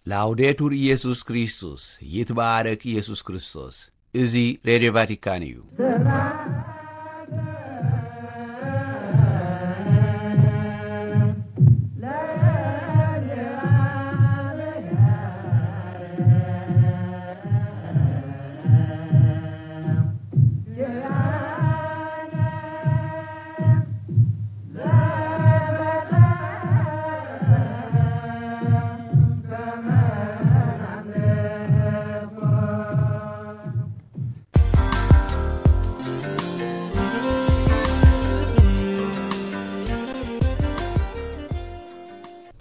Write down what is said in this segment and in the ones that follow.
ላውዴቱር ኢየሱስ ክርስቶስ፣ ይትባረክ ኢየሱስ ክርስቶስ። እዚ ሬድዮ ቫቲካን እዩ።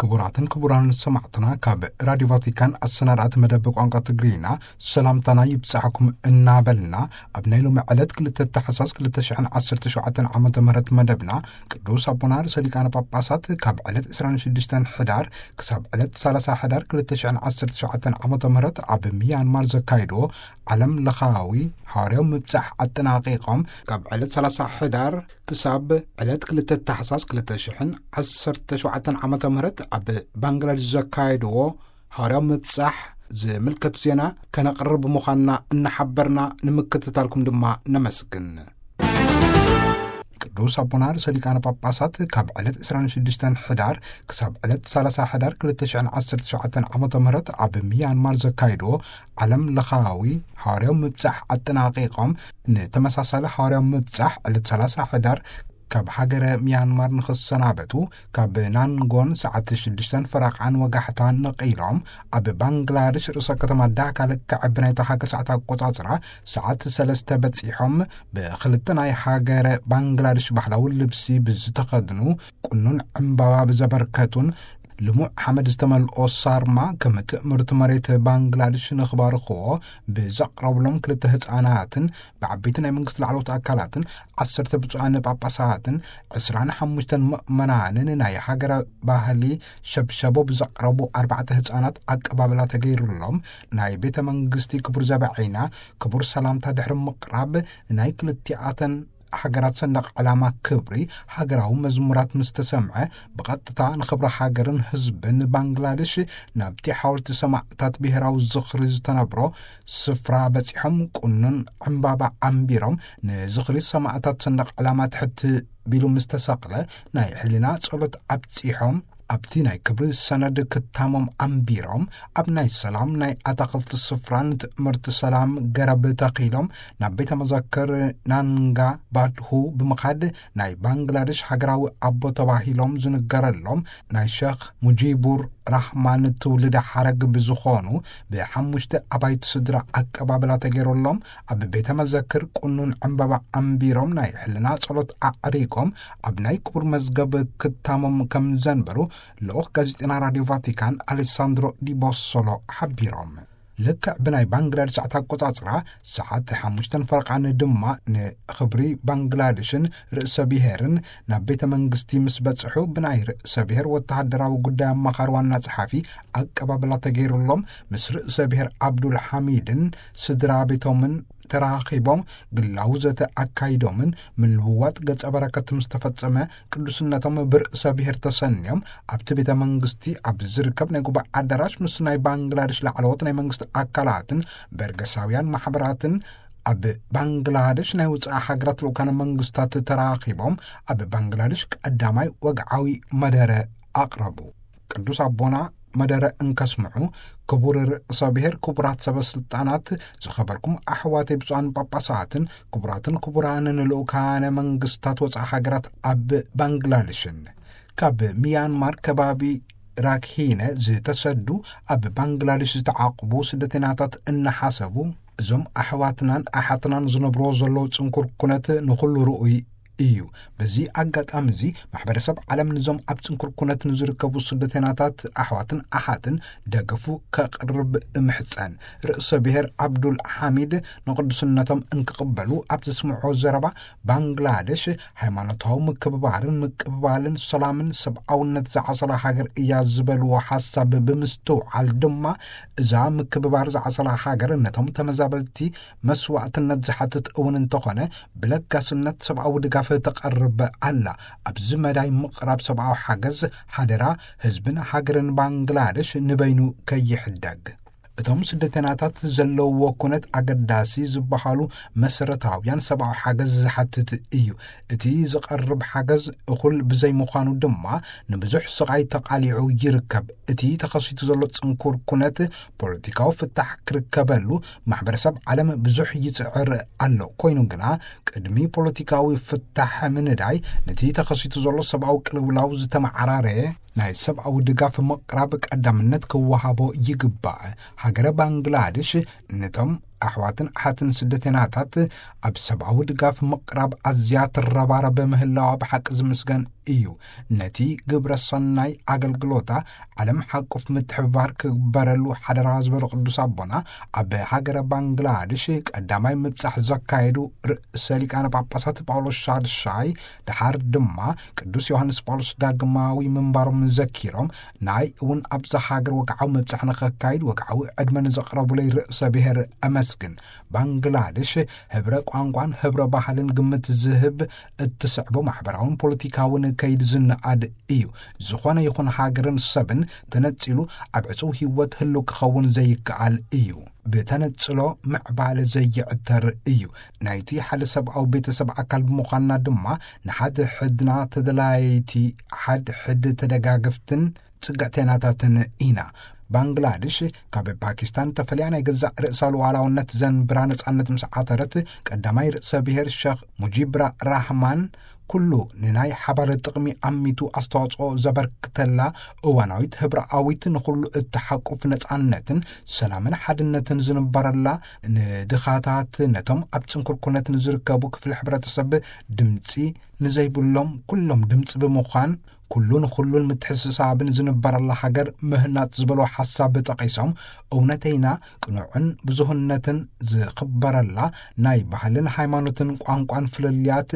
ክቡራትን ክቡራን ሰማዕትና፣ ካብ ራዲዮ ቫቲካን ኣሰናዳእቲ መደብ ቋንቋ ትግርኛ ሰላምታና ይብጻሕኩም እናበልና፣ ኣብ ናይ ሎሚ ዕለት ክልተ ታሕሳስ ክልተ ሽሕን ዓሰርተ ሸውዓተን ዓመተ ምህረት መደብና፣ ቅዱስ ኣቦና ርእሰ ሊቃነ ጳጳሳት ካብ ዕለት ዕስራን ሽዱሽተን ሕዳር ክሳብ ዕለት ሰላሳ ሕዳር ክልተ ሽሕን ዓሰርተ ሸውዓተን ዓመተ ምህረት ኣብ ሚያንማር ዘካየድዎ ዓለም ለኻዊ ሃዋርያዊ ምብጻሕ ኣጠናቒቖም፣ ካብ ዕለት ሰላሳ ሕዳር ክሳብ ዕለት ክልተ ታሕሳስ ክልተ ሽሕን ዓሰርተ ሸውዓተን ዓመተ ምህረት ኣብ ባንግላዴሽ ዘካየድዎ ሃዋርያዊ ምብጻሕ ዝምልከት ዜና ከነቕርብ ምዃንና እናሓበርና፣ ንምክትታልኩም ድማ ነመስግን። ቅዱስ ኣቦና ርእሰ ሊቃነ ጳጳሳት ካብ ዕለት ዕስራን ሽዱሽተን ሕዳር ክሳብ ዕለት ሰላሳ ሕዳር ክልተ ሽሕን ዓሰርተ ሸውዓተን ዓመተ ምህረት ኣብ ሚያንማር ዘካየድዎ ዓለም ለኻዊ ሃዋርያዊ ምብጻሕ ኣጠናቒቖም፣ ንተመሳሳሊ ሃዋርያዊ ምብጻሕ ዕለት ሰላሳ ሕዳር ካብ ሃገረ ሚያንማር ንኽሰናበቱ፣ ካብ ናንጎን ሰዓት ሽዱሽተን ፈረቓን ወጋሕታ ነቒሎም፣ ኣብ ባንግላደሽ ርእሰ ከተማ ዳካ ልክዕ ብናይታ ሃገር ሰዓት ኣቆጻጽራ ሰዓት ሰለስተ በጺሖም፣ ብኽልተ ናይ ሃገረ ባንግላደሽ ባህላዊ ልብሲ ብዝተኸድኑ፣ ቁኑን ዕምባባ ብዘበርከቱን ልሙዕ ሓመድ ዝተመልኦ ሳርማ ከም ትእምርቲ መሬት ባንግላደሽ ንኽባርኽዎ ብዘቕረብሎም ክልተ ህጻናትን ብዓበይቲ ናይ መንግስቲ ላዕለዎት ኣካላትን ዓሰርተ ብፁዓን ጳጳሳትን ዕስራን ሓሙሽተን ምእመናንን ናይ ሃገረ ባህሊ ሸብሸቦ ብዘቕረቡ ኣርባዕተ ህጻናት ኣቀባብላ ተገይሩሎም፣ ናይ ቤተ መንግስቲ ክቡር ዘበዐይና ክቡር ሰላምታ ድሕሪ ምቕራብ፣ ናይ ክልቲኣተን ሃገራት ሰንደቕ ዕላማ ክብሪ ሃገራዊ መዝሙራት ምስ ተሰምዐ፣ ብቐጥታ ንኽብሪ ሃገርን ህዝብን ባንግላደሽ ናብቲ ሓወልቲ ሰማእታት ብሄራዊ ዝኽሪ ዝተነብሮ ስፍራ በጺሖም፣ ቁኑን ዕምባባ ኣንቢሮም፣ ንዝኽሪ ሰማእታት ሰንደቕ ዕላማ ትሕት ቢሉ ምስ ተሰቕለ፣ ናይ ሕልና ጸሎት ኣብጺሖም፣ ኣብቲ ናይ ክብሪ ሰነድ ክታሞም ኣንቢሮም፣ ኣብ ናይ ሰላም ናይ ኣታኽልቲ ስፍራ ንትእምርቲ ሰላም ገረብ ተኺሎም፣ ናብ ቤተ መዘክር ናንጋ ባድሁ ብምኻድ፣ ናይ ባንግላደሽ ሃገራዊ ኣቦ ተባሂሎም ዝንገረሎም ናይ ሸኽ ሙጂቡር ራህማን ትውልደ ሓረግ ብዝኾኑ ብሓሙሽተ ኣባይቲ ስድራ ኣቀባብላ ተገይሮሎም፣ ኣብ ቤተ መዘክር ቁኑን ዕምባባ ኣንቢሮም፣ ናይ ሕልና ጸሎት ኣዕሪጎም፣ ኣብ ናይ ክቡር መዝገብ ክታሞም ከም ዘንበሩ ልኡኽ ጋዜጠና ራድዮ ቫቲካን ኣሌሳንድሮ ዲ ቦሶሎ ሓቢሮም። ልክዕ ብናይ ባንግላደሽ ሰዓት ኣቆጻጽራ ሰዓት ሓሙሽተን ፈረቓን ድማ ንኽብሪ ባንግላደሽን ርእሰ ብሔርን ናብ ቤተ መንግስቲ ምስ በጽሑ፣ ብናይ ርእሰ ብሔር ወተሃደራዊ ጉዳይ ኣማኻሪ ዋና ጸሓፊ ኣቀባብላ ተገይሩሎም፣ ምስ ርእሰ ብሔር ኣብዱል ሓሚድን ስድራ ቤቶምን ተራኺቦም ግላዊ ዘተ ኣካይዶምን ምልውዋጥ ገጸ በረከት ምስ ተፈጸመ፣ ቅዱስነቶም ብርእሰ ብሔር ተሰንዮም ኣብቲ ቤተ መንግስቲ ኣብ ዝርከብ ናይ ጉባኤ ኣዳራሽ ምስ ናይ ባንግላደሽ ላዕለዎት ናይ መንግስቲ ኣካላትን በርገሳውያን ማሕበራትን ኣብ ባንግላደሽ ናይ ውጻኢ ሃገራት ልኡካነ መንግስታት ተራኺቦም ኣብ ባንግላደሽ ቀዳማይ ወግዓዊ መደረ ኣቕረቡ። ቅዱስ ኣቦና መደረ እንከስምዑ፣ ክቡር ርእሰ ብሔር፣ ክቡራት ሰበ ስልጣናት፣ ዝኸበርኩም ኣሕዋተይ ብፁዓን ጳጳሳትን፣ ክቡራትን ክቡራንን ልኡካነ መንግስታት ወጻኢ ሃገራት ኣብ ባንግላደሽን፣ ካብ ሚያንማር ከባቢ ራክሂነ ዝተሰዱ ኣብ ባንግላደሽ ዝተዓቑቡ ስደተኛታት እናሓሰቡ፣ እዞም ኣሕዋትናን ኣሓትናን ዝነብርዎ ዘለዉ ጽንኩር ኩነት ንኹሉ ርኡይ እዩ። በዚ ኣጋጣሚ እዚ ማሕበረሰብ ዓለም ንዞም ኣብ ጽንኩር ኩነት ንዝርከቡ ስደተኛታት ኣሕዋትን ኣሓትን ደገፉ ከቕርብ እምሕጸን። ርእሰ ብሔር ኣብዱል ሓሚድ ንቅዱስነቶም እንክቕበሉ ኣብ ዘስምዖ ዘረባ፣ ባንግላደሽ ሃይማኖታዊ ምክብባርን ምቅብባልን ሰላምን ሰብኣውነት ዝዓሰላ ሃገር እያ ዝበልዎ ሓሳብ ብምስትውዓል ድማ፣ እዛ ምክብባር ዝዓሰላ ሃገር ነቶም ተመዛበልቲ መስዋእትነት ዝሓትት እውን እንተኾነ፣ ብለጋስነት ሰብኣዊ ድጋፍ ትቐርብ ኣላ። ኣብዚ መዳይ ምቕራብ ሰብኣዊ ሓገዝ ሓደራ ህዝብን ሃገርን ባንግላደሽ ንበይኑ ከይሕደግ። እቶም ስደተናታት ዘለውዎ ኩነት ኣገዳሲ ዝበሃሉ መሰረታውያን ሰብኣዊ ሓገዝ ዝሓትት እዩ። እቲ ዝቐርብ ሓገዝ እኹል ብዘይምዃኑ ድማ ንብዙሕ ስቓይ ተቓሊዑ ይርከብ። እቲ ተኸሲቱ ዘሎ ጽንኩር ኩነት ፖለቲካዊ ፍታሕ ክርከበሉ ማሕበረሰብ ዓለም ብዙሕ ይጽዕር ኣሎ። ኮይኑ ግና ቅድሚ ፖለቲካዊ ፍታሕ ምንዳይ ነቲ ተኸሲቱ ዘሎ ሰብኣዊ ቅልውላው ዝተመዓራረየ ናይ ሰብኣዊ ድጋፍ ምቕራብ ቀዳምነት ክወሃቦ ይግባእ። ሃገረ ባንግላድሽ ነቶም ኣሕዋትን ኣሓትን ስደተናታት ኣብ ሰብኣዊ ድጋፍ ምቕራብ ኣዝያ ትረባረበ ምህላዋ ብሓቂ ዝምስገን እዩ። ነቲ ግብረ ሰናይ ኣገልግሎታ ዓለም ሓቁፍ ምትሕብባር ክግበረሉ ሓደራ ዝበሉ ቅዱስ ኣቦና፣ ኣብ ሃገረ ባንግላድሽ ቀዳማይ ምብጻሕ ዘካየዱ ርእሰ ሊቃነ ጳጳሳት ጳውሎስ ሻድሻይ፣ ደሓር ድማ ቅዱስ ዮሃንስ ጳውሎስ ዳግማዊ ምንባሮም ዘኪሮም፣ ናይ እውን ኣብዛ ሃገር ወግዓዊ ምብጻሕ ንኸካይድ ወግዓዊ ዕድመ ንዘቕረቡለይ ርእሰ ብሔር ኣመስግን። ባንግላድሽ ህብረ ቋንቋን ህብረ ባህልን ግምት ዝህብ፣ እትስዕቦ ማሕበራውን ፖለቲካውን ከይድ ዝነኣድ እዩ። ዝኾነ ይኹን ሃገርን ሰብን ተነጺሉ ኣብ ዕጹው ህይወት ህልው ክኸውን ዘይከኣል እዩ። ብተነጽሎ ምዕባለ ዘይዕተር እዩ። ናይቲ ሓደ ሰብኣዊ ቤተሰብ ኣካል ብምዃንና ድማ ንሓድ ሕድና ተደላይቲ፣ ሓድ ሕድ ተደጋግፍትን ጽግዕተናታትን ኢና። ባንግላድሽ ካብ ፓኪስታን ተፈልያ ናይ ገዛእ ርእሳ ሉዓላውነት ዘንብራ ነጻነት ምስ ዓተረት፣ ቀዳማይ ርእሰ ብሔር ሸኽ ሙጂብራ ራህማን ኩሉ ንናይ ሓባር ጥቕሚ ኣሚቱ ኣስተዋጽኦ ዘበርክተላ እዋናዊት ህብረኣዊት ንኹሉ እትሓቁፍ ነጻነትን ሰላምን ሓድነትን ዝንበረላ፣ ንድኻታት ነቶም ኣብ ጽንኩር ኩነት ንዝርከቡ ክፍሊ ሕብረተሰብ ድምጺ ንዘይብሎም ኩሎም ድምጺ ብምዃን ኩሉ ንኹሉን ምትሕስሳብን ዝንበረላ ሃገር ምህናጽ ዝበሎ ሓሳብ ጠቒሶም፣ እውነተይና ቅኑዕን ብዙህነትን ዝኽበረላ ናይ ባህልን ሃይማኖትን ቋንቋን ፍልልያት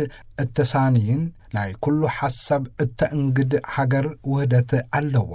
እተሳንይን ናይ ኩሉ ሓሳብ እተእንግድ ሃገር ውህደት ኣለዋ።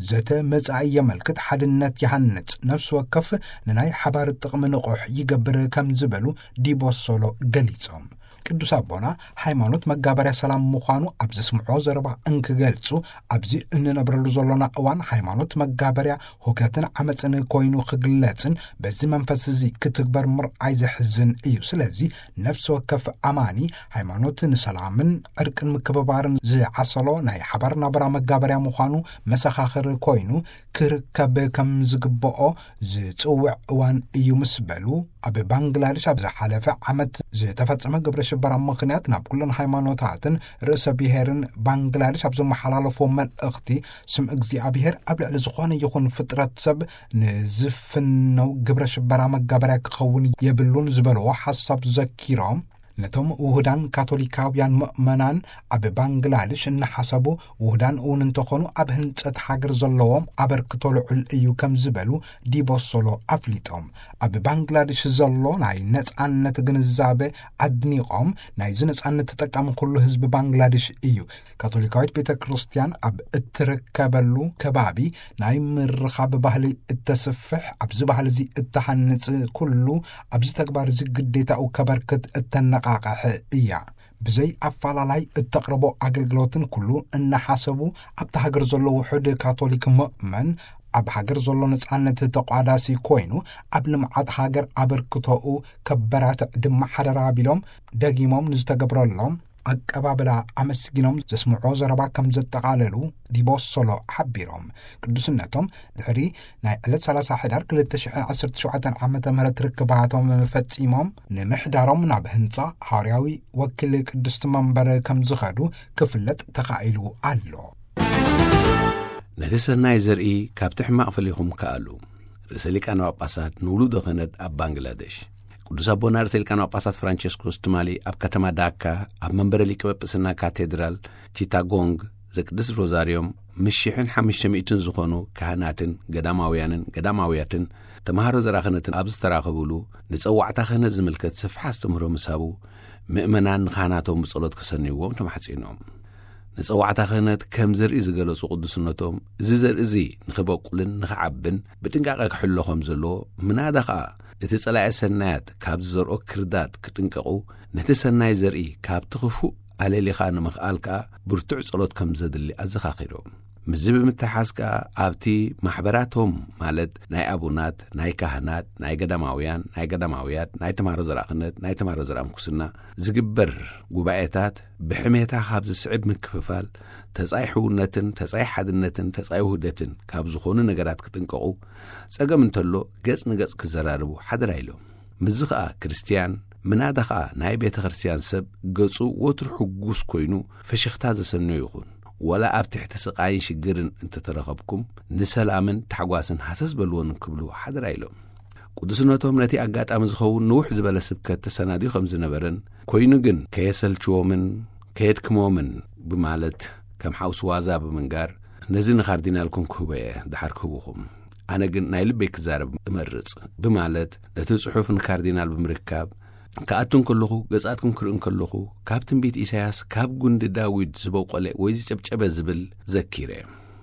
ዘተ መጻኢ የመልክት፣ ሓድነት ይሃንጽ፣ ነፍሲ ወከፍ ንናይ ሓባር ጥቕሚ ንቑሕ ይገብር ከም ዝበሉ ዲቦሶሎ ገሊጾም። ቅዱስ ኣቦና ሃይማኖት መጋበርያ ሰላም ምዃኑ ኣብ ዘስምዖ ዘረባ እንክገልጹ፣ ኣብዚ እንነብረሉ ዘሎና እዋን ሃይማኖት መጋበርያ ሁከትን ዓመፅን ኮይኑ ክግለጽን በዚ መንፈስ እዚ ክትግበር ምርኣይ ዘሕዝን እዩ። ስለዚ ነፍሲ ወከፍ ኣማኒ ሃይማኖት ንሰላምን ዕርቅን ምክብባርን ዝዓሰሎ ናይ ሓባር ናብራ መጋበርያ ምዃኑ መሰኻኽር ኮይኑ ክርከብ ከም ዝግብኦ ዝጽውዕ እዋን እዩ ምስ በሉ፣ ኣብ ባንግላዴሽ ኣብ ዝሓለፈ ዓመት ዝተፈጸመ ግብረ ሽበራ ምኽንያት ናብ ኩለን ሃይማኖታትን ርእሰ ብሔርን ባንግላዴሽ ኣብ ዘመሓላለፎ መልእኽቲ፣ ስም እግዚኣብሔር ኣብ ልዕሊ ዝኾነ ይኹን ፍጥረት ሰብ ንዝፍነው ግብረ ሽበራ መጋበርያ ክኸውን የብሉን ዝበልዎ ሓሳብ ዘኪሮም፣ ነቶም ውሁዳን ካቶሊካውያን ምእመናን ኣብ ባንግላዴሽ እናሓሰቡ፣ ውሁዳን እውን እንተኾኑ ኣብ ህንጸት ሃገር ዘለዎም ኣበርክቶ ልዑል እዩ ከም ዝበሉ ዲቦሶሎ ኣፍሊጦም። ኣብ ባንግላዴሽ ዘሎ ናይ ነጻነት ግንዛበ ኣድኒቖም፣ ናይዚ ነጻነት ተጠቃሚ ኩሉ ህዝቢ ባንግላዴሽ እዩ። ካቶሊካዊት ቤተ ክርስቲያን ኣብ እትርከበሉ ከባቢ ናይ ምርኻብ ባህሊ እተስፍሕ፣ ኣብዚ ባህሊ እዚ እተሃንጽ ኩሉ ኣብዚ ተግባር እዚ ግዴታኡ ከበርክት እተነቓቕሕ እያ። ብዘይ ኣፈላላይ እተቕርቦ ኣገልግሎትን ኩሉ እናሓሰቡ ኣብቲ ሃገር ዘሎ ውሑድ ካቶሊክ ምእመን ኣብ ሃገር ዘሎ ነጻነት ተቋዳሲ ኮይኑ ኣብ ልምዓት ሃገር ኣበርክቶኡ ከበራትዕ ድማ ሓደራ ቢሎም ደጊሞም ንዝተገብረሎም ኣቀባብላ ኣመስጊኖም ዘስምዖ ዘረባ ከም ዘጠቓለሉ ዲቦሶሎ ሓቢሮም። ቅዱስነቶም ድሕሪ ናይ ዕለት ሰላሳ ሕዳር ክልተ ሽሕን ዓሰርተ ሸውዓተን ዓመተ ምህረት ርክባቶም ፈጺሞም ንምሕዳሮም ናብ ህንጻ ሃዋርያዊ ወኪል ቅድስቲ መንበር ከም ዝኸዱ ክፍለጥ ተኻኢሉ ኣሎ። ነቲ ሰናይ ዘርኢ ካብቲ ሕማቕ ፈሊኹም ከኣሉ። ርእሰ ሊቃነ ጳጳሳት ንውሉደ ክህነት ኣብ ባንግላዴሽ። ቅዱስ ኣቦና ርእሰ ሊቃነ ጳጳሳት ፍራንቸስኮስ ትማሊ ኣብ ከተማ ዳካ ኣብ መንበረ ሊቀ ጳጳስና ካቴድራል ቺታጎንግ ዘቅድስ ሮዛርዮም ምስ ሽሕን ሓሙሽተ ሚእትን ዝኾኑ ካህናትን ገዳማውያንን ገዳማውያትን ተምሃሮ ዘራ ክህነትን ኣብ ዝተራኸቡሉ፣ ንጸዋዕታ ክህነት ዝምልከት ሰፊሕ ኣስተምህሮ ምስ ሃቡ፣ ምእመናን ንካህናቶም ብጸሎት ከሰንይዎም ተማሕጺኖም። ንጸዋዕታ ክህነት ከም ዘርኢ ዝገለጹ ቅዱስነቶም፣ እዚ ዘርኢ እዚ ንኽበቁልን ንኽዓብን ብጥንቃቐ ክሕሎ ከም ዘለዎ፣ ምናዳ ኸኣ እቲ ጸላኢ ሰናያት ካብ ዝዘርኦ ክርዳድ ክጥንቀቑ፣ ነቲ ሰናይ ዘርኢ ካብቲ ክፉእ ኣለሊኻ ንምኽኣል ከኣ ብርቱዕ ጸሎት ከም ዘድሊ ኣዘኻኺሮም። ምስዚ ብምትሓዝ ከኣ ኣብቲ ማሕበራቶም፣ ማለት ናይ ኣቡናት፣ ናይ ካህናት፣ ናይ ገዳማውያን፣ ናይ ገዳማውያት፣ ናይ ተማሃሮ ዘርኣ ክህነት፣ ናይ ተማሃሮ ዘርኣ ምንኩስና ዝግበር ጉባኤታት ብሕሜታ ካብ ዝስዕብ ምክፍፋል፣ ተጻይ ሕውነትን ተጻይ ሓድነትን ተጻይ ውህደትን ካብ ዝኾኑ ነገራት ክጥንቀቑ፣ ጸገም እንተሎ ገጽ ንገጽ ክዘራረቡ ሓደራ ኢሎም። ምስዚ ኸኣ ክርስትያን፣ ምናዳ ኸኣ ናይ ቤተ ክርስትያን ሰብ ገጹ ወትሩ ሕጉስ ኮይኑ ፍሽኽታ ዘሰንዮ ይኹን። ወላ ኣብ ትሕቲ ስቓይን ሽግርን እንተተረኸብኩም፣ ንሰላምን ታሕጓስን ሃሰስ በልዎን ክብሉ ሓደራ ኢሎም። ቅዱስነቶም ነቲ ኣጋጣሚ ዝኸውን ንውሕ ዝበለ ስብከት ተሰናድዩ ከም ዝነበረን፣ ኮይኑ ግን ከየሰልችዎምን ከየድክሞምን ብማለት ከም ሓውሲ ዋዛ ብምንጋር፣ ነዚ ንካርዲናልኩም ክህቦ እየ፣ ደሓር ክህብኹም። ኣነ ግን ናይ ልበይ ክዛረብ እመርጽ ብማለት ነቲ ጽሑፍ ንካርዲናል ብምርካብ፣ ክኣቱ እንከለኹ፣ ገጻትኩም ክርኢ እንከለኹ፣ ካብ ትንቢት ኢሳያስ ካብ ጉንዲ ዳዊት ዝበቆለ ወይ ዝጨብጨበ ዝብል ዘኪረ።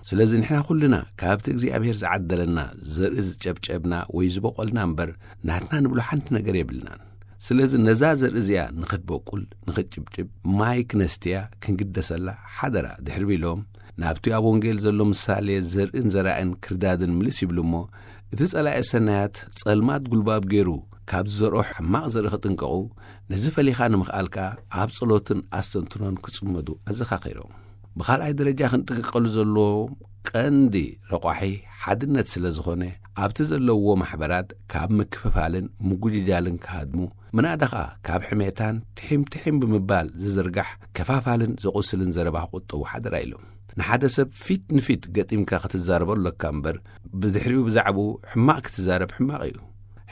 ስለዚ ንሕና ኩልና ካብቲ እግዚኣብሔር ዝዓደለና ዘርኢ ዝጨብጨብና ወይ ዝበቆልና እምበር፣ ናትና ንብሎ ሓንቲ ነገር የብልናን። ስለዚ ነዛ ዘርኢ እዚኣ ንኽትበቁል፣ ንኽትጭብጭብ፣ ማይ ክነስትያ ክንግደሰላ ሓደራ ድሕሪ ቢሎም፣ ናብቲ ኣብ ወንጌል ዘሎ ምሳሌ ዘርእን ዘራእን ክርዳድን ምልስ ይብሉ እሞ፣ እቲ ጸላኢ ሰናያት ጸልማት ጉልባብ ገይሩ ካብ ዝዘርኦ ሕማቕ ዘርኢ ክጥንቀቑ፣ ነዚ ፈሊኻ ንምኽኣል ከኣ ኣብ ጸሎትን ኣስተንትኖን ክጽመዱ ኣዘኻኺሮም። ብኻልኣይ ደረጃ ክንጥንቀቐሉ ዘለዎ ቀንዲ ረቋሒ ሓድነት ስለ ዝኾነ፣ ኣብቲ ዘለውዎ ማሕበራት ካብ ምክፍፋልን ምጉጅጃልን ክሃድሙ፣ ምናዳ ኸኣ ካብ ሕሜታን ትሒም ትሒም ብምባል ዝዝርጋሕ ከፋፋልን ዘቑስልን ዘረባ ክቑጠቡ ሓደራ ኢሎም። ንሓደ ሰብ ፊት ንፊት ገጢምካ ክትዛረቦ ኣለካ እምበር፣ ብድሕሪኡ ብዛዕባኡ ሕማቕ ክትዛረብ ሕማቕ እዩ።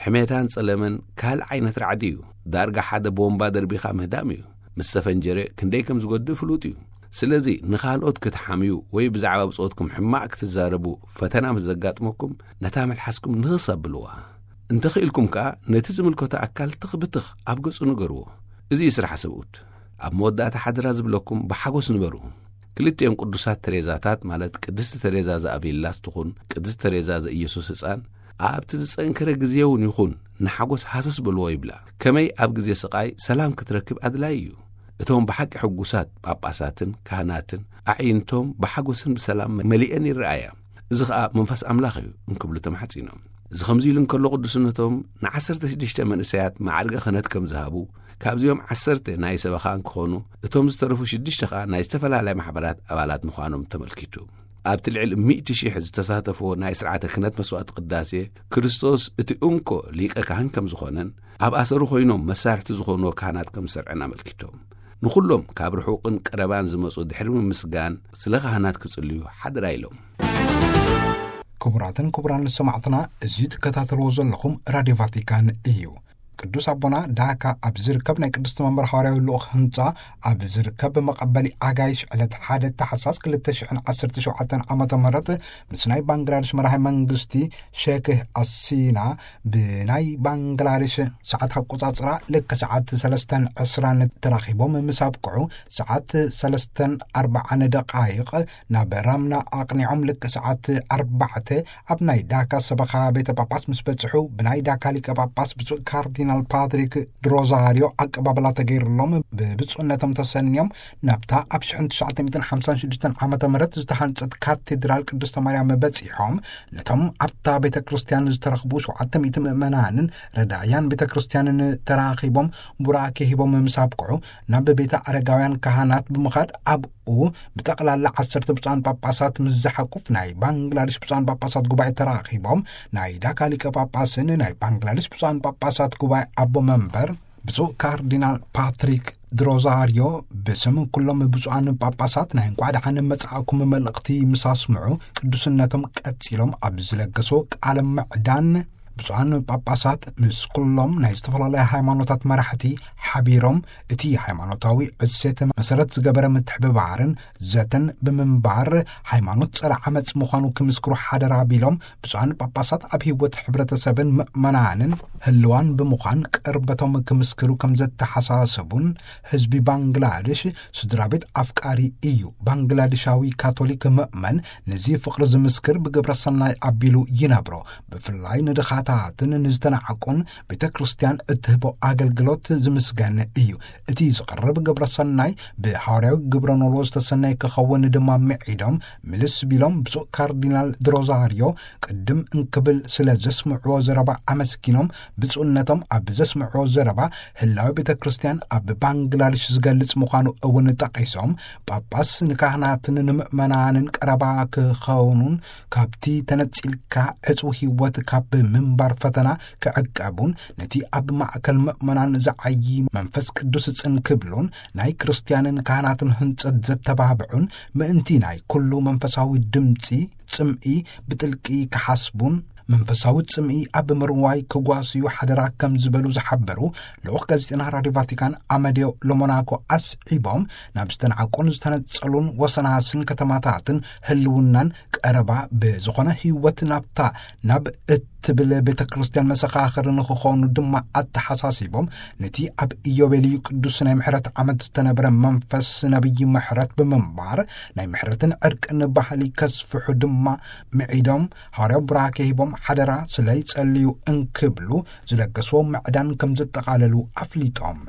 ሕሜታን ጸለመን ካልእ ዓይነት ራዕዲ እዩ። ዳርጋ ሓደ ቦምባ ደርቢኻ ምህዳም እዩ። ምስ ተፈንጀረ ክንደይ ከም ዝጎድእ ፍሉጥ እዩ። ስለዚ ንኻልኦት ክትሓምዩ ወይ ብዛዕባ ብጾትኩም ሕማቕ ክትዛረቡ ፈተና ምስ ዘጋጥመኩም፣ ነታ መልሓስኩም ንኽስ ኣብልዋ። እንተኽኢልኩም ከኣ ነቲ ዝምልከቶ ኣካል ትኽ ብትኽ ኣብ ገጹ ንገርዎ። እዚ እዩ ስራሕ ሰብኡት። ኣብ መወዳእታ ሓደራ ዝብለኩም ብሓጎስ ንበሩ። ክልቲኦም ቅዱሳት ተሬዛታት፣ ማለት ቅድስቲ ተሬዛ ዘኣቪላስ ትኹን ቅድስቲ ተሬዛ ዘኢየሱስ ህጻን፣ ኣብቲ ዝጸንከረ ግዜ እውን ይኹን ንሓጎስ ሃሰስ በልዎ ይብላ። ከመይ ኣብ ግዜ ስቓይ ሰላም ክትረክብ ኣድላዪ እዩ። እቶም ብሓቂ ሕጉሳት ጳጳሳትን ካህናትን ኣዕይንቶም ብሓጎስን ብሰላም መሊአን ይረኣያ። እዚ ኸኣ መንፈስ ኣምላኽ እዩ እንክብሉ ተማሕጺኖም። እዚ ከምዚ ኢሉ እንከሎ ቅዱስነቶም ንዓሰርተ ሽዱሽተ መንእሰያት ማዕርገ ክህነት ከም ዝሃቡ፣ ካብዚኦም ዓሰርተ ናይ ሰበኻ እንክኾኑ፣ እቶም ዝተረፉ ሽዱሽተ ኸኣ ናይ ዝተፈላለያ ማሕበራት ኣባላት ምዃኖም ተመልኪቱ። ኣብቲ ልዕሊ ሚእቲ ሺሕ ዝተሳተፍዎ ናይ ስርዓተ ክህነት መስዋዕቲ ቅዳሴ፣ ክርስቶስ እቲ እንኮ ሊቀ ካህን ከም ዝኾነን፣ ኣብ ኣሰሩ ኮይኖም መሳርሕቲ ዝኾንዎ ካህናት ከም ዝሰርዐን ኣመልኪቶም፣ ንኹሎም ካብ ርሑቕን ቀረባን ዝመጹ ድሕሪ ምምስጋን፣ ስለ ካህናት ክጽልዩ ሓደራ ኢሎም። ክቡራትን ክቡራን ሰማዕትና፣ እዚ ትከታተልዎ ዘለኹም ራድዮ ቫቲካን እዩ። ቅዱስ ኣቦና ዳካ ኣብ ዝርከብ ናይ ቅድስቲ መንበር ሃዋርያዊ ልኡኽ ህንጻ ኣብ ዝርከብ መቐበሊ ኣጋይሽ ዕለት ሓደ ታሕሳስ ክልተ ሽሕን ዓሰርተ ሸውዓተን ዓመተ ምህረት ምስ ናይ ባንግላዴሽ መራሒ መንግስቲ ሼክ ኣሲና ብናይ ባንግላዴሽ ሰዓት ኣቆጻጽራ ልክ ሰዓት ሰለስተን ዕስራን ተራኺቦም ምስ ኣብቅዑ፣ ሰዓት ሰለስተን ኣርባዓን ደቓይቕ ናብ ራምና ኣቕኒዖም ልክ ሰዓት ኣርባዕተ ኣብ ናይ ዳካ ሰበኻ ቤተ ጳጳስ ምስ በጽሑ፣ ብናይ ዳካ ሊቀ ጳጳስ ብፁዕ ካርዲናል ፓትሪክ ድሮዛሪዮ ኣቀባብላ ተገይሩሎም ብብፁዕነቶም ተሰንዮም ናብታ ኣብ ሽሕን ትሽዓተ ሚእትን ሓምሳን ሽዱሽተን ዓመተ ምህረት ዝተሃንጸት ካቴድራል ቅድስተ ማርያም በጺሖም፣ ነቶም ኣብታ ቤተ ክርስቲያን ዝተረኽቡ ሸውዓተ ሚእቲ ምእመናንን ረዳያን ቤተ ክርስቲያንን ተራኺቦም ቡራኬ ሂቦም ምስ ኣብቅዑ፣ ናብ ቤተ ኣረጋውያን ካህናት ብምኻድ ኣብኡ ብጠቕላላ ዓሰርተ ብፁዓን ጳጳሳት ምስ ዝሓቁፍ ናይ ባንግላዴሽ ብፁዓን ጳጳሳት ጉባኤ ተራኺቦም፣ ናይ ዳካ ሊቀ ጳጳስን ናይ ባንግላዴሽ ብፁዓን ጳጳሳት ጉባኤ ኣቦ መንበር ብፁዕ ካርዲናል ፓትሪክ ድሮዛሪዮ ብስም ኩሎም ብፁዓን ጳጳሳት ናይ እንቋዕ ደሓን መጻእኩም መልእኽቲ ምስ ኣስምዑ፣ ቅዱስነቶም ቀጺሎም ኣብ ዝለገሶ ቃለ ምዕዳን፣ ብፁዓን ጳጳሳት ምስ ኩሎም ናይ ዝተፈላለያ ሃይማኖታት መራሕቲ ሓቢሮም፣ እቲ ሃይማኖታዊ እሴት መሰረት ዝገበረ ምትሕብባርን ዘተን ብምንባር፣ ሃይማኖት ጸረ ዓመጽ ምዃኑ ክምስክሩ ሓደራ ቢሎም፣ ብፁዓን ጳጳሳት ኣብ ህይወት ሕብረተሰብን ምእመናንን ህልዋን ብምዃን ቅርበቶም ክምስክሩ ከም ዘተሓሳሰቡን፣ ህዝቢ ባንግላዴሽ ስድራ ቤት ኣፍቃሪ እዩ። ባንግላዴሻዊ ካቶሊክ ምእመን ነዚ ፍቕሪ ዝምስክር ብግብረ ሰናይ ኣቢሉ ይነብሮ። ብፍላይ ንድኻት ታትን ንዝተናዕቁን ቤተ ክርስቲያን እትህቦ ኣገልግሎት ዝምስገን እዩ። እቲ ዝቐርብ ግብረ ሰናይ ብሃዋርያዊ ግብረ ኖሎ ዝተሰነየ ክኸውን ድማ ምዒዶም፣ ምልስ ቢሎም ብፁዕ ካርዲናል ድሮዛርዮ ቅድም እንክብል ስለ ዘስምዕዎ ዘረባ ኣመስጊኖም፣ ብፁዕነቶም ኣብ ዘስምዕዎ ዘረባ ህላዊ ቤተ ክርስቲያን ኣብ ባንግላድሽ ዝገልጽ ምዃኑ እውን ጠቒሶም፣ ጳጳስ ንካህናትን ንምእመናንን ቀረባ ክኸውኑን ካብቲ ተነጺልካ ዕጽው ህይወት ካብ ምንባር ፈተና ክዕቀቡን ነቲ ኣብ ማእከል ምእመናን ዝዓዪ መንፈስ ቅዱስ ጽን ክብሉን ናይ ክርስትያንን ካህናትን ህንጸት ዘተባብዑን ምእንቲ ናይ ኩሉ መንፈሳዊ ድምጺ ጽምኢ ብጥልቂ ክሓስቡን መንፈሳዊ ጽምኢ ኣብ ምርዋይ ክጓስዩ ሓደራ ከም ዝበሉ ዝሓበሩ ልኡኽ ጋዜጠና ራድዮ ቫቲካን ኣመድዮ ሎሞናኮ ኣስዒቦም፣ ናብ ዝተናዕቁን ዝተነጸሉን ወሰናስን ከተማታትን ህልውናን ቀረባ ብዝኾነ ህይወት ናብታ ናብ እትብል ቤተ ክርስቲያን መሰኻኽር ንኽኾኑ ድማ ኣተሓሳሲቦም፣ ነቲ ኣብ ኢዮቤልዩ ቅዱስ ናይ ምሕረት ዓመት ዝተነበረ መንፈስ ነቢይ ምሕረት ብምንባር ናይ ምሕረትን ዕርቅን ባህሊ ከስፍሑ ድማ ምዒዶም፣ ሃዋርያዊ ቡራኬ ሂቦም ሓደራ ስለ ይጸልዩ እንክብሉ ዝለገስዎ ምዕዳን ከም ዘጠቓለሉ ኣፍሊጦም።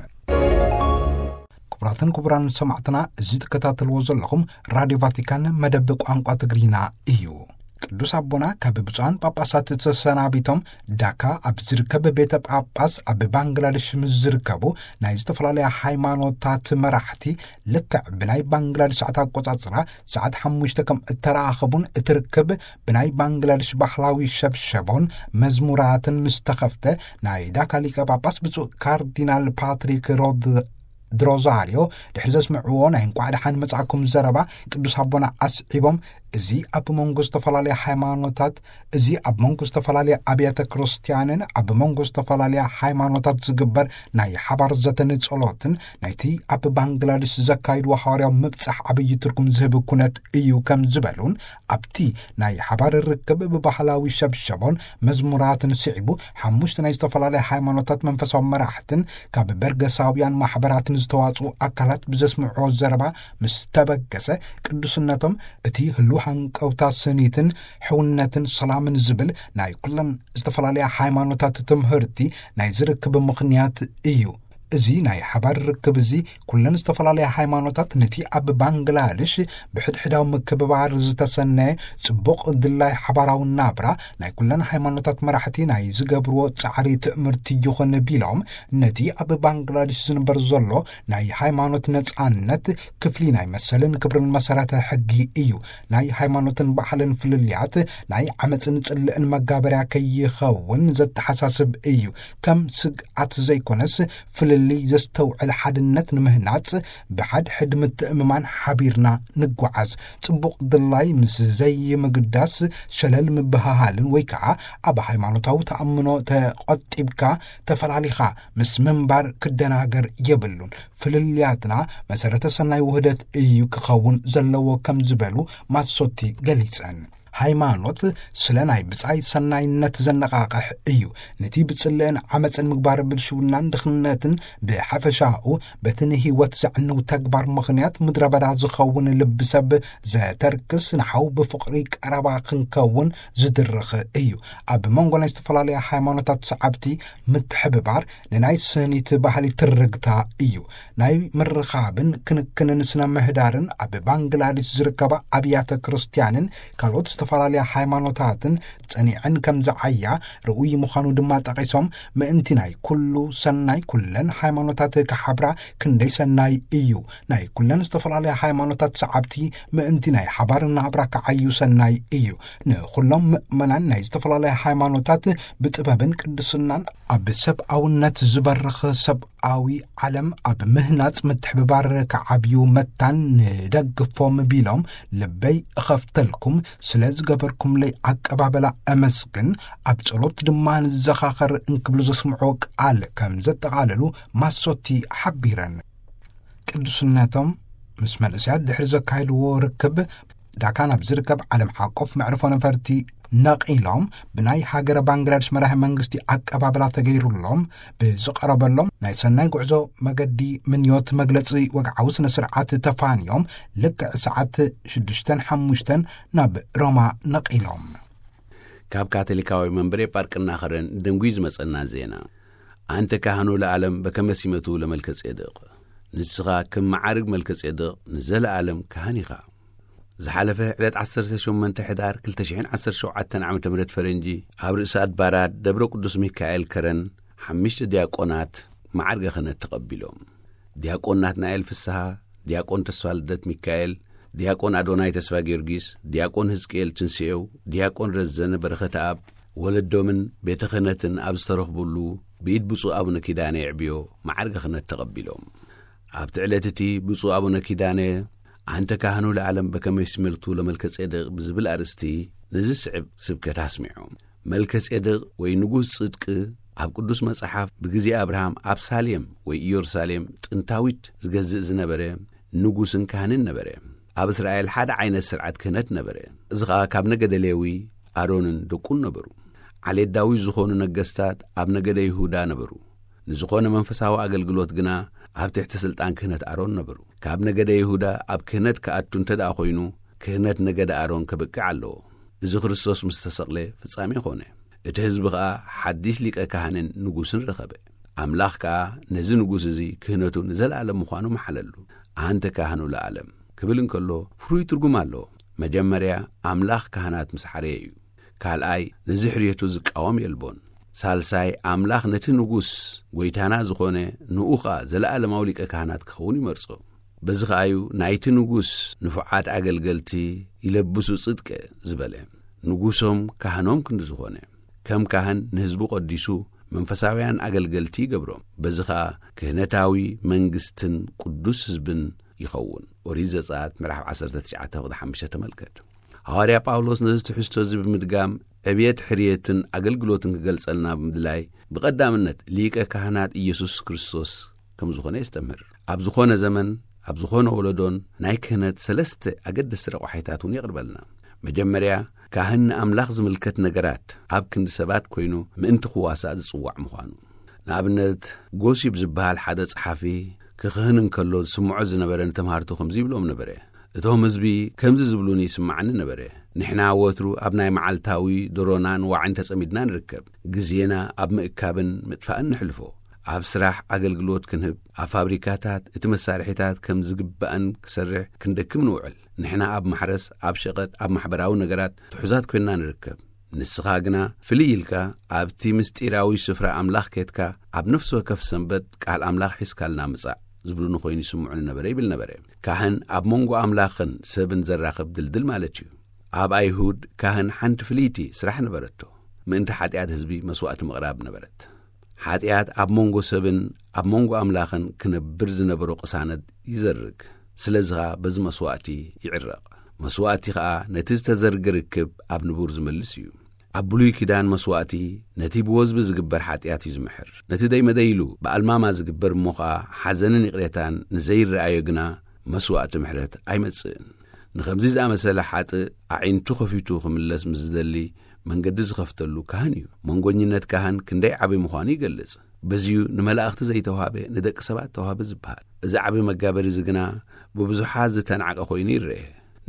ክቡራትን ክቡራን ሰማዕትና፣ እዚ ትከታተልዎ ዘለኹም ራድዮ ቫቲካን መደብ ቋንቋ ትግርኛ እዩ። ቅዱስ ኣቦና ካብ ብፁዓን ጳጳሳት ተሰናቢቶም ዳካ ኣብ ዝርከብ ቤተ ጳጳስ ኣብ ባንግላደሽ ምስ ዝርከቡ ናይ ዝተፈላለያ ሃይማኖታት መራሕቲ ልክዕ ብናይ ባንግላደሽ ሰዓት ኣቆጻጽራ ሰዓት ሓሙሽተ ከም እተራኸቡን እቲ ርክብ ብናይ ባንግላደሽ ባህላዊ ሸብሸቦን መዝሙራትን ምስ ተኸፍተ ናይ ዳካ ሊቀ ጳጳስ ብፁዕ ካርዲናል ፓትሪክ ሮድ ድሮዛርዮ ድሕሪ ዘስምዕዎ ናይ እንቋዕ ደሓን መጻእኩም ዘረባ ቅዱስ ኣቦና ኣስዒቦም፣ እዚ ኣብ መንጎ ዝተፈላለያ ሃይማኖታት፣ እዚ ኣብ መንጎ ዝተፈላለያ ኣብያተ ክርስቲያንን ኣብ መንጎ ዝተፈላለያ ሃይማኖታት ዝግበር ናይ ሓባር ዘተን ጸሎትን ናይቲ ኣብ ባንግላደሽ ዘካይድዎ ሃዋርያዊ ምብጻሕ ዓብዪ ትርጉም ዝህብ ኩነት እዩ ከም ዝበሉን፣ ኣብቲ ናይ ሓባር ርክብ ብባህላዊ ሸብሸቦን መዝሙራትን ስዒቡ ሓሙሽተ ናይ ዝተፈላለያ ሃይማኖታት መንፈሳዊ መራሕትን ካብ በርገሳውያን ማሕበራትን ዝተዋጽኡ ኣካላት ብዘስምዕዎ ዘረባ ምስ ተበገሰ፣ ቅዱስነቶም እቲ ህሉው ሃንቀውታ ስኒትን ሕውነትን ሰላምን ዝብል ናይ ኩለን ዝተፈላለያ ሃይማኖታት ትምህርቲ ናይ ዝርክብ ምኽንያት እዩ። እዚ ናይ ሓባር ርክብ እዚ ኩለን ዝተፈላለያ ሃይማኖታት ነቲ ኣብ ባንግላድሽ ብሕድሕዳዊ ምክብባር ዝተሰነየ ጽቡቕ ድላይ ሓባራዊ ናብራ ናይ ኩለን ሃይማኖታት መራሕቲ ናይ ዝገብርዎ ጻዕሪ ትእምርቲ ይኹን ቢሎም፣ ነቲ ኣብ ባንግላድሽ ዝንበር ዘሎ ናይ ሃይማኖት ነጻነት ክፍሊ ናይ መሰልን ክብርን መሰረተ ሕጊ እዩ። ናይ ሃይማኖትን ባህልን ፍልልያት ናይ ዓመጽን ጽልእን መጋበርያ ከይኸውን ዘተሓሳስብ እዩ። ከም ስግኣት ዘይኮነስ ፍልልይ ዘስተውዕል ሓድነት ንምህናጽ ብሓድሕድ ምትእምማን ሓቢርና ንጓዓዝ። ጽቡቕ ድላይ ምስ ዘይምግዳስ ሸለል ምብህሃልን ወይ ከዓ ኣብ ሃይማኖታዊ ተኣምኖ ተቖጢብካ ተፈላሊኻ ምስ ምንባር ክደናገር የብሉን። ፍልልያትና መሰረተ ሰናይ ውህደት እዩ ክኸውን ዘለዎ ከም ዝበሉ ማሶቲ ገሊጸን። ሃይማኖት ስለ ናይ ብጻይ ሰናይነት ዘነቓቕሕ እዩ። ነቲ ብጽልእን ዓመጽን ምግባር ብልሽውናን ድኽነትን ብሓፈሻኡ በቲ ንህይወት ዘዕንው ተግባር ምኽንያት ምድረ በዳ ዝኸውን ልቢ ሰብ ዘተርክስ ንሓው ብፍቕሪ ቀረባ ክንከውን ዝድርኽ እዩ። ኣብ መንጎ ናይ ዝተፈላለያ ሃይማኖታት ሰዓብቲ ምትሕብባር ንናይ ስኒት ባህሊ ትርግታ እዩ። ናይ ምርኻብን ክንክንን ስነ ምህዳርን ኣብ ባንግላዴሽ ዝርከባ ኣብያተ ክርስቲያንን ካልኦት ዝተፈላለያ ሃይማኖታትን ጸኒዐን ከም ዝዓያ ርኡይ ምዃኑ ድማ ጠቒሶም፣ ምእንቲ ናይ ኩሉ ሰናይ ኩለን ሃይማኖታት ክሓብራ ክንደይ ሰናይ እዩ። ናይ ኩለን ዝተፈላለያ ሃይማኖታት ሰዓብቲ ምእንቲ ናይ ሓባር ናብራ ክዓዩ ሰናይ እዩ። ንኹሎም ምእመናን ናይ ዝተፈላለያ ሃይማኖታት ብጥበብን ቅድስናን ኣብ ሰብኣውነት ዝበርኽ ሰብኣዊ ዓለም ኣብ ምህናጽ ምትሕብባር ክዓብዩ መታን ንደግፎም ቢሎም፣ ልበይ እኸፍተልኩም፣ ስለ ዝገበርኩምለይ ኣቀባበላ እመስግን፣ ኣብ ጸሎት ድማ ንዘኻኸር እንክብሉ ዘስምዕዎ ቃል ከም ዘጠቓለሉ ማሶቲ ሓቢረን። ቅዱስነቶም ምስ መንእሰያት ድሕሪ ዘካየድዎ ርክብ፣ ዳካ ናብ ዝርከብ ዓለም ሓቆፍ መዕርፎ ነፈርቲ ነቒሎም፣ ብናይ ሃገረ ባንግላዴሽ መራሒ መንግስቲ ኣቀባብላ ተገይሩሎም፣ ብዝቐረበሎም ናይ ሰናይ ጉዕዞ መገዲ ምንዮት መግለጺ ወግዓዊ ስነ ስርዓት ተፋንዮም፣ ልክዕ ሰዓት ሽዱሽተን ሓሙሽተን ናብ ሮማ ነቒሎም። ካብ ካቶሊካዊ መንበረ ጳርቅና ኸረን ደንጉዩ ዝመጸና ዜና። ኣንተ ካህኑ ለዓለም በከመ ሲመቱ ለመልከ ጼዴቅ፣ ንስኻ ከም መዓርግ መልከ ጼዴቅ ንዘለዓለም ካህን ኢኻ። ዝሓለፈ ዕለት ዓሰርተ ሸሞንተ ሕዳር ክልተ ሽሕን ዓሰርተ ሸውዓተን ዓመተ ምህረት ፈረንጂ፣ ኣብ ርእሲ ኣድባራት ደብረ ቅዱስ ሚካኤል ከረን ሓሙሽተ ዲያቆናት መዓርገ ክህነት ተቐቢሎም። ዲያቆን ናትናኤል ፍስሃ፣ ዲያቆን ተስፋ ልደት ሚካኤል፣ ዲያቆን ኣዶናይ ተስፋ ጊዮርጊስ፣ ዲያቆን ህዝቅኤል ትንስኤው፣ ዲያቆን ረዘነ በረኸተኣብ፣ ወለዶምን ቤተ ክህነትን ኣብ ዝተረኽቡሉ፣ ብኢድ ብፁዕ ኣቡነ ኪዳነ የዕብዮ መዓርገ ክህነት ተቐቢሎም። ኣብቲ ዕለት እቲ ብፁዕ ኣቡነ ኪዳነ፣ ኣንተ ካህኑ ለዓለም በከመ ሲመቱ ለመልከ ጼዴቅ ብዝብል ኣርእስቲ፣ ነዚ ስዕብ ስብከት ኣስሚዖም። መልከ ጼዴቅ ወይ ንጉስ ጽድቂ፣ ኣብ ቅዱስ መጽሓፍ ብግዜ ኣብርሃም ኣብ ሳሌም ወይ ኢየሩሳሌም ጥንታዊት ዝገዝእ ዝነበረ ንጉስን ካህንን ነበረ። ኣብ እስራኤል ሓደ ዓይነት ስርዓት ክህነት ነበረ። እዚ ኸኣ ካብ ነገደ ሌዊ ኣሮንን ደቁን ነበሩ። ዓሌት ዳዊት ዝኾኑ ነገስታት ኣብ ነገደ ይሁዳ ነበሩ። ንዝኾነ መንፈሳዊ ኣገልግሎት ግና ኣብ ትሕቲ ስልጣን ክህነት ኣሮን ነበሩ። ካብ ነገደ ይሁዳ ኣብ ክህነት ክኣቱ እንተ ደኣ ኮይኑ፣ ክህነት ነገደ ኣሮን ከብቅዕ ኣለዎ። እዚ ክርስቶስ ምስ ተሰቕለ ፍጻሜ ኾነ። እቲ ህዝቢ ኸኣ ሓዲስ ሊቀ ካህንን ንጉስን ረኸበ። ኣምላኽ ከኣ ነዚ ንጉስ እዚ ክህነቱ ንዘለኣለም ምዃኑ መሓለሉ። ኣንተ ካህኑ ለዓለም ክብል እንከሎ ፍሩይ ትርጉም ኣለዎ። መጀመርያ ኣምላኽ ካህናት ምስ ሓረየ እዩ። ካልኣይ ነዚ ሕርየቱ ዝቃወም የልቦን። ሳልሳይ ኣምላኽ ነቲ ንጉስ ጐይታና ዝኾነ ንኡ ኸኣ ዘለኣለማዊ ሊቀ ካህናት ክኸውን ይመርጾ። በዚ ኸኣዩ ናይቲ ንጉስ ንፉዓት ኣገልገልቲ ይለብሱ ጽድቀ ዝበለ። ንጉሶም ካህኖም ክንዲ ዝኾነ፣ ከም ካህን ንህዝቡ ቀዲሱ መንፈሳውያን ኣገልገልቲ ይገብሮም። በዚ ኸኣ ክህነታዊ መንግስትን ቅዱስ ህዝብን ይኸውን። ኦሪት ዘጸኣት ምዕራፍ ዓሰርተ ትሽዓተ ቁጽሪ ሓሙሽተ ተመልከት። ሃዋርያ ጳውሎስ ነዚ ትሕዝቶ እዚ ብምድጋም ዕብየት ሕርየትን ኣገልግሎትን ክገልጸልና ብምድላይ ብቐዳምነት ሊቀ ካህናት ኢየሱስ ክርስቶስ ከም ዝኾነ የስተምህር። ኣብ ዝኾነ ዘመን፣ ኣብ ዝኾነ ወለዶን ናይ ክህነት ሰለስተ ኣገደስቲ ረቋሒታት እውን የቕርበልና። መጀመርያ፣ ካህን ንኣምላኽ ዝምልከት ነገራት ኣብ ክንዲ ሰባት ኮይኑ ምእንቲ ክዋሳእ ዝጽዋዕ ምዃኑ። ንኣብነት፣ ጎሲፕ ዝበሃል ሓደ ጸሓፊ ክኽህን እንከሎ ዝስምዖ ዝነበረ ንተምሃርቱ ከምዚ ይብሎም ነበረ። እቶም ህዝቢ ከምዚ ዝብሉኒ ይስምዓኒ ነበረ። ንሕና ወትሩ ኣብ ናይ መዓልታዊ ድሮናን ዋዕን ተጸሚድና ንርከብ። ግዜና ኣብ ምእካብን ምጥፋእን ንሕልፎ። ኣብ ስራሕ ኣገልግሎት ክንህብ፣ ኣብ ፋብሪካታት እቲ መሳርሒታት ከም ዝግባእን ክሰርሕ ክንደክም ንውዕል። ንሕና ኣብ ማሕረስ፣ ኣብ ሸቐጥ፣ ኣብ ማሕበራዊ ነገራት ትሑዛት ኮይንና ንርከብ። ንስኻ ግና ፍልይ ኢልካ ኣብቲ ምስጢራዊ ስፍራ ኣምላኽ ኬድካ ኣብ ነፍሲ ወከፍ ሰንበት ቃል ኣምላኽ ሒዝካልና ምጻእ ዝብሉኒ ኮይኑ ይስምዑኒ ነበረ ይብል ነበረ። ካህን ኣብ መንጎ ኣምላኽን ሰብን ዘራኽብ ድልድል ማለት እዩ። ኣብ ኣይሁድ ካህን ሓንቲ ፍልይቲ ስራሕ ነበረቶ። ምእንቲ ሓጢኣት ህዝቢ መስዋእቲ ምቕራብ ነበረት። ሓጢኣት ኣብ መንጎ ሰብን ኣብ መንጎ ኣምላኽን ክነብር ዝነበሮ ቅሳነት ይዘርግ። ስለዚ ኸኣ በዚ መስዋእቲ ይዕረቕ። መስዋእቲ ኸኣ ነቲ ዝተዘርገ ርክብ ኣብ ንቡር ዝመልስ እዩ። ኣብ ብሉይ ኪዳን መስዋእቲ ነቲ ብወዝቢ ዝግበር ሓጢኣት እዩ ዝምሕር። ነቲ ደይመደይ ኢሉ ብኣልማማ ዝግበር እሞ ኸኣ ሓዘንን ይቕሬታን ንዘይረኣዮ ግና መስዋእቲ ምሕረት ኣይመጽእን። ንኸምዚ ዝኣመሰለ ሓጥእ ኣዒንቱ ኸፊቱ ክምለስ ምስ ዝደሊ መንገዲ ዝኸፍተሉ ካህን እዩ። መንጎኝነት ካህን ክንደይ ዓቢ ምዃኑ ይገልጽ። በዚዩ ንመላእኽቲ ዘይተዋህበ ንደቂ ሰባት ተዋህበ ዝበሃል። እዚ ዓቢ መጋበሪ እዚ ግና ብብዙሓት ዝተናዕቀ ኮይኑ ይረአ።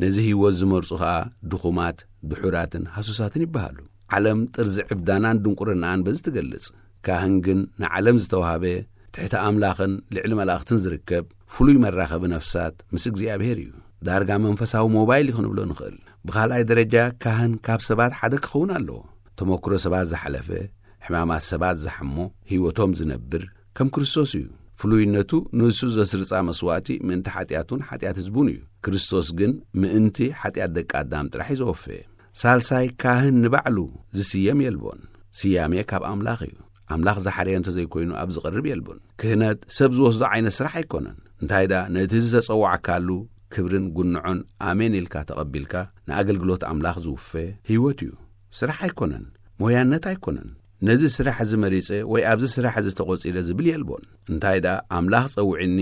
ነዚ ህይወት ዝመርጹ ኸኣ ድኹማት፣ ድሑራትን ሃሱሳትን ይበሃሉ። ዓለም ጥርዚ ዕብዳናን ድንቁርናኣን በዚ ትገልጽ። ካህን ግን ንዓለም ዝተዋህበ ትሕቲ ኣምላኽን ልዕሊ መላእኽትን ዝርከብ ፍሉይ መራኸቢ ነፍሳት ምስ እግዚኣብሔር እዩ። ዳርጋ መንፈሳዊ ሞባይል እዩ ክንብሎ ንኽእል። ብኻልኣይ ደረጃ ካህን ካብ ሰባት ሓደ ክኸውን ኣለዎ። ተመክሮ ሰባት ዝሓለፈ፣ ሕማማት ሰባት ዝሓሞ፣ ህይወቶም ዝነብር ከም ክርስቶስ እዩ። ፍሉይነቱ ንሱ ዘስርጻ መስዋእቲ ምእንቲ ሓጢኣቱን ሓጢኣት ህዝቡን እዩ። ክርስቶስ ግን ምእንቲ ሓጢኣት ደቂ ኣዳም ጥራሕ እዩ ዘወፈየ። ሳልሳይ ካህን ንባዕሉ ዝስየም የልቦን። ስያሜ ካብ ኣምላኽ እዩ። ኣምላኽ ዝሓረየ እንተዘይኮይኑ ኣብ ዝቐርብ የልቦን። ክህነት ሰብ ዝወስዶ ዓይነት ስራሕ ኣይኮነን። እንታይ ደኣ ነቲ ዝተጸዋዕካሉ ክብርን ጉንዖን ኣሜን ኢልካ ተቐቢልካ ንኣገልግሎት ኣምላኽ ዝውፈ ህይወት እዩ። ስራሕ ኣይኮነን። ሞያነት ኣይኮነን። ነዚ ስራሕ እዚ መሪጸ ወይ ኣብዚ ስራሕ እዚ ተቖጺረ ዝብል የልቦን። እንታይ ደኣ ኣምላኽ ጸውዕኒ፣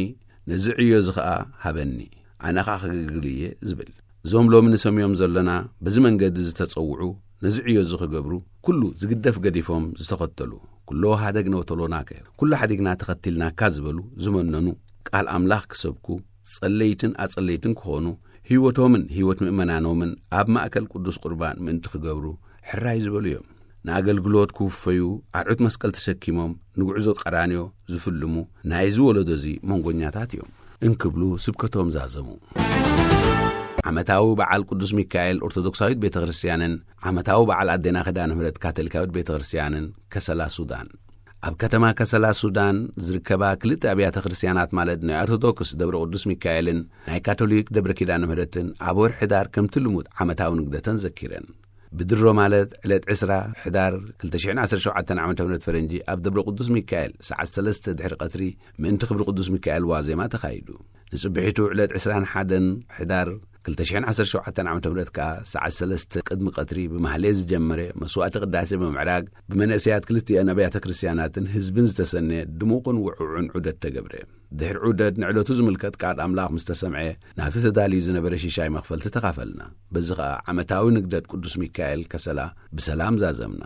ነዚ ዕዮ እዚ ኸኣ ሃበኒ፣ ኣነ ኸኣ ከገልግል እየ ዝብል። እዞም ሎሚ ንሰምዮም ዘሎና በዚ መንገዲ ዝተጸውዑ ነዚ ዕዮ እዚ ክገብሩ ኩሉ ዝግደፍ ገዲፎም ዝተኸተሉ ኩሎ ሃደግ ነውተሎናከ ኩሉ ሓዲግና ተኸቲልናካ ዝበሉ ዝመነኑ ቃል ኣምላኽ ክሰብኩ ጸለይትን ኣጸለይትን ክኾኑ ህይወቶምን ህይወት ምእመናኖምን ኣብ ማእከል ቅዱስ ቁርባን ምእንቲ ክገብሩ ሕራይ ዝበሉ እዮም። ንኣገልግሎት ክውፈዩ ኣርዑት መስቀል ተሰኪሞም ንጉዕዞ ቀራንዮ ዝፍልሙ ናይዚ ወለዶ እዚ መንጎኛታት እዮም እንክብሉ ስብከቶም ዛዘሙ። ዓመታዊ በዓል ቅዱስ ሚካኤል ኦርቶዶክሳዊት ቤተ ክርስቲያንን ዓመታዊ በዓል ኣዴና ኪዳነ ምሕረት ካቶሊካዊት ቤተ ክርስቲያንን ከሰላ ሱዳን። ኣብ ከተማ ከሰላ ሱዳን ዝርከባ ክልተ ኣብያተ ክርስቲያናት ማለት ናይ ኦርቶዶክስ ደብረ ቅዱስ ሚካኤልን ናይ ካቶሊክ ደብረ ኪዳነ ምሕረትን ኣብ ወርሒ ሕዳር ከምቲ ልሙድ ዓመታዊ ንግደተን ዘኪረን። ብድሮ ማለት ዕለት ዕስራ ሕዳር ክልተ ሽሕን ዓሰርተ ሸውዓተን ዓመተ ምህረት ፈረንጂ ኣብ ደብረ ቅዱስ ሚካኤል ሰዓት ሰለስተ ድሕሪ ቀትሪ ምእንቲ ክብሪ ቅዱስ ሚካኤል ዋዜማ ተኻይዱ። ንጽብሒቱ ዕለት ዕስራን ሓደን ሕዳር ክልተ ሽሕን ዓሰርተ ሸውዓተን ዓመተ ምህረት ከኣ ሰዓት ሰለስተ ቅድሚ ቀትሪ ብማህሌት ዝጀመረ መስዋዕቲ ቅዳሴ ብምዕራግ ብመንእሰያት ክልቲአን ኣብያተ ክርስቲያናትን ህዝብን ዝተሰነየ ድሙቕን ውዕዑን ዑደት ተገብረ። ድሕሪ ዑደት ንዕለቱ ዝምልከት ቃል ኣምላኽ ምስ ተሰምዐ ናብቲ ተዳልዩ ዝነበረ ሽሻይ መኽፈልቲ ተኻፈልና። በዚ ኸኣ ዓመታዊ ንግደት ቅዱስ ሚካኤል ከሰላ ብሰላም ዛዘምና።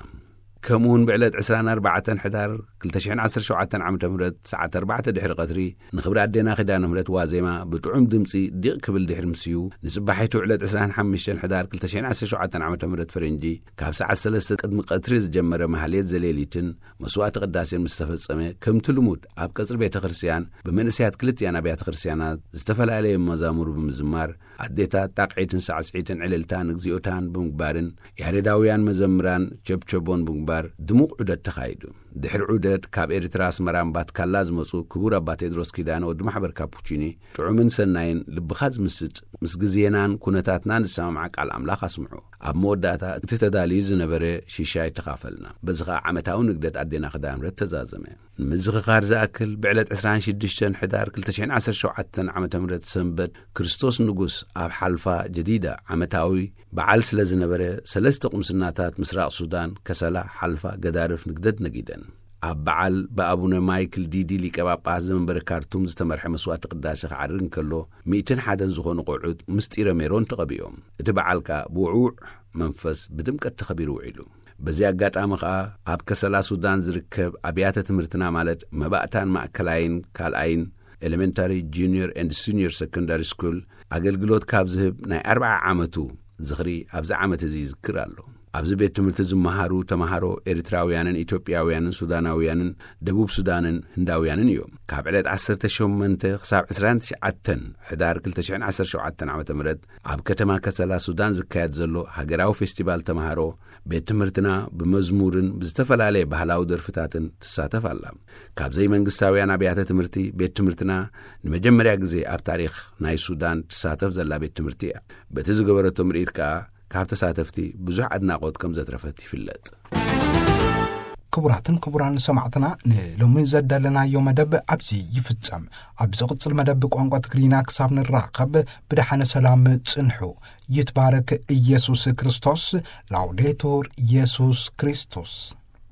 ከምኡውን ብዕለት ዕስራን ኣርባዕተን ሕዳር ክልተ ሽሕን ዓሰርተ ሸውዓተን ዓመተ ምህረት ሰዓት ኣርባዕተ ድሕሪ ቀትሪ ንኽብሪ ኣዴና ኪዳነ ምህረት ዋዜማ ብጥዑም ድምጺ ዲቕ ክብል ድሕሪ ምስዩ ንጽባሒቱ ዕለት ዕስራን ሓሙሽተን ሕዳር ክልተ ሽሕን ዓሰርተ ሸውዓተን ዓመተ ምህረት ፈረንጂ ካብ ሰዓት ሰለስተ ቅድሚ ቀትሪ ዝጀመረ ማህሌት ዘሌሊትን መስዋዕቲ ቅዳሴን ምስ ተፈጸመ ከምቲ ልሙድ ኣብ ቀጽሪ ቤተ ክርስቲያን ብመንእሰያት ክልቲኣን ኣብያተ ክርስቲያናት ዝተፈላለየ መዛሙር ብምዝማር ኣዴታት ጣቕዒትን ሳዕስዒትን ዕልልታን እግዚኣብታን ብምግባርን ያሬዳውያን መዘምራን ቸብቸቦን ብምግባር ድሙቕ ዑደት ተኻይዱ። ድሕሪ ዑደት ካብ ኤርትራ ኣስመራ እምባት ካላ ዝመጹ ክቡር ኣባ ቴድሮስ ኪዳነ ወዲ ማሕበር ካፑቺኒ ጥዑምን ሰናይን ልብኻ ዝምስጥ ምስ ግዜናን ኩነታትናን ዝሰማምዓ ቃል ኣምላኽ ኣስምዑ። ኣብ መወዳእታ እቲ ተዳልዩ ዝነበረ ሽሻይ ተኻፈልና። በዚ ኸኣ ዓመታዊ ንግደት ኣዴና ኪዳነ ምሕረት ተዛዘመ። ንምዝኽኻር ዝኣክል ብዕለት ዕስራን ሽዱሽተን ሕዳር ክልተ ሽሕን ዓሰርተ ሸውዓተን ዓመተ ምህረት ሰንበት ክርስቶስ ንጉስ ኣብ ሓልፋ ጀዲዳ ዓመታዊ በዓል ስለ ዝነበረ ሰለስተ ቁምስናታት ምስራቕ ሱዳን ከሰላ ሓልፋ ገዳርፍ ንግደት ነጊደን። ኣብ በዓል ብኣቡነ ማይክል ዲዲ ሊቀ ጳጳስ ዘመንበረ ካርቱም ዝተመርሐ መስዋዕቲ ቅዳሴ ክዓርግ እንከሎ ሚእትን ሓደን ዝኾኑ ቆልዑት ምስጢረ ሜሮን ተቐቢኦም። እቲ በዓል ከኣ ብውዕውዕ መንፈስ ብድምቀት ተኸቢሩ ውዒሉ። በዚ ኣጋጣሚ ኸኣ ኣብ ከሰላ ሱዳን ዝርከብ ኣብያተ ትምህርትና ማለት መባእታን ማእከላይን ካልኣይን ኤሌመንታሪ ጁኒየር ኤንድ ሲኒየር ሰኮንዳሪ ስኩል ኣገልግሎት ካብ ዝህብ ናይ ኣርብዓ ዓመቱ ዝኽሪ ኣብዚ ዓመት እዚ ይዝክር ኣሎ። ኣብዚ ቤት ትምህርቲ ዝመሃሩ ተምሃሮ ኤርትራውያንን ኢትዮጵያውያንን ሱዳናውያንን ደቡብ ሱዳንን ህንዳውያንን እዮም። ካብ ዕለት ዓሰርተ ሸሞንተ ክሳብ ዕስራን ትሽዓተን ሕዳር ክልተ ሽሕን ዓሰርተ ሸውዓተን ዓመተ ምህረት ኣብ ከተማ ከሰላ ሱዳን ዝካየድ ዘሎ ሃገራዊ ፌስቲቫል ተምሃሮ ቤት ትምህርትና ብመዝሙርን ብዝተፈላለየ ባህላዊ ደርፍታትን ትሳተፍ ኣላ። ካብ ዘይመንግስታውያን ኣብያተ ትምህርቲ ቤት ትምህርትና ንመጀመርያ ግዜ ኣብ ታሪኽ ናይ ሱዳን ትሳተፍ ዘላ ቤት ትምህርቲ እያ። በቲ ዝገበረቶ ምርኢት ከኣ ካብ ተሳተፍቲ ብዙሕ ኣድናቖት ከም ዘትረፈት ይፍለጥ። ክቡራትን ክቡራን ሰማዕትና፣ ንሎሚ ዘዳለናዮ መደብ ኣብዚ ይፍጸም። ኣብ ዝቕጽል መደብ ብቋንቋ ትግርኛ ክሳብ ንራኸብ ብደሓነ ሰላም ጽንሑ። ይትባረክ ኢየሱስ ክርስቶስ። ላውዴቱር ኢየሱስ ክርስቶስ።